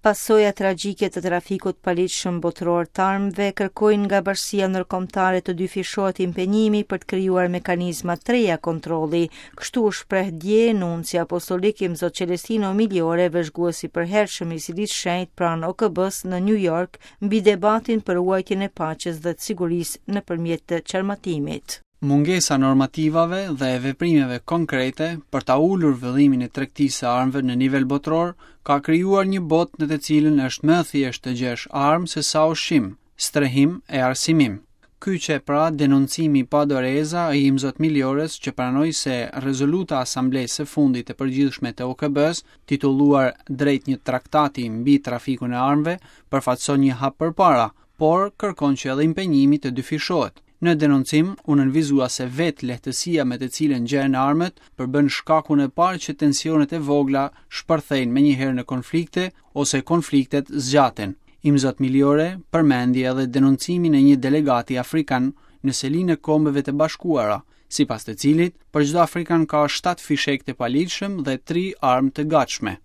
Pasojat tragjike të trafikut të paligjshëm botëror të armëve kërkojnë nga bashkësia ndërkombëtare të dyfishohet impenjimi për të krijuar mekanizma të reja kontrolli. Kështu u shpreh dje nunci apostolik Imzot Celestino Migliore, vëzhgues i përhershëm i Selisë së Shenjtë pranë OKB-së në New York, mbi debatin për ruajtjen e paqes dhe të sigurisë nëpërmjet të çarmatimit. Mungesa e normativave dhe e veprimeve konkrete për ta ulur vëllimin e tregtisë së armëve në nivel botëror ka krijuar një botë në të cilën është më e thjeshtë të gjesh armë se sa ushqim, strehim e arsimim. Ky qe pra denoncimi pa doreza i Imzot Migliores që pranoi se rezoluta e Asamblesë së fundit të Përgjithshme të OKB-së, titulluar Drejt një traktati mbi trafikun e armëve, përfaqëson një hap përpara, por kërkon që edhe impenjimi të dyfishohet. Në denoncim, u nënvizua se vetë lehtësia me të cilën gjehen armët përbën shkakun e parë që tensionet e vogla shpërthejnë menjëherë në konflikte ose konfliktet zgjaten. Imzot Migliore përmendi edhe denoncimin e një delegati afrikan në selinë e Kombeve të Bashkuara, sipas të cilit, për çdo afrikan ka 7 fishekë të paligjshëm dhe 3 armë të gatshme.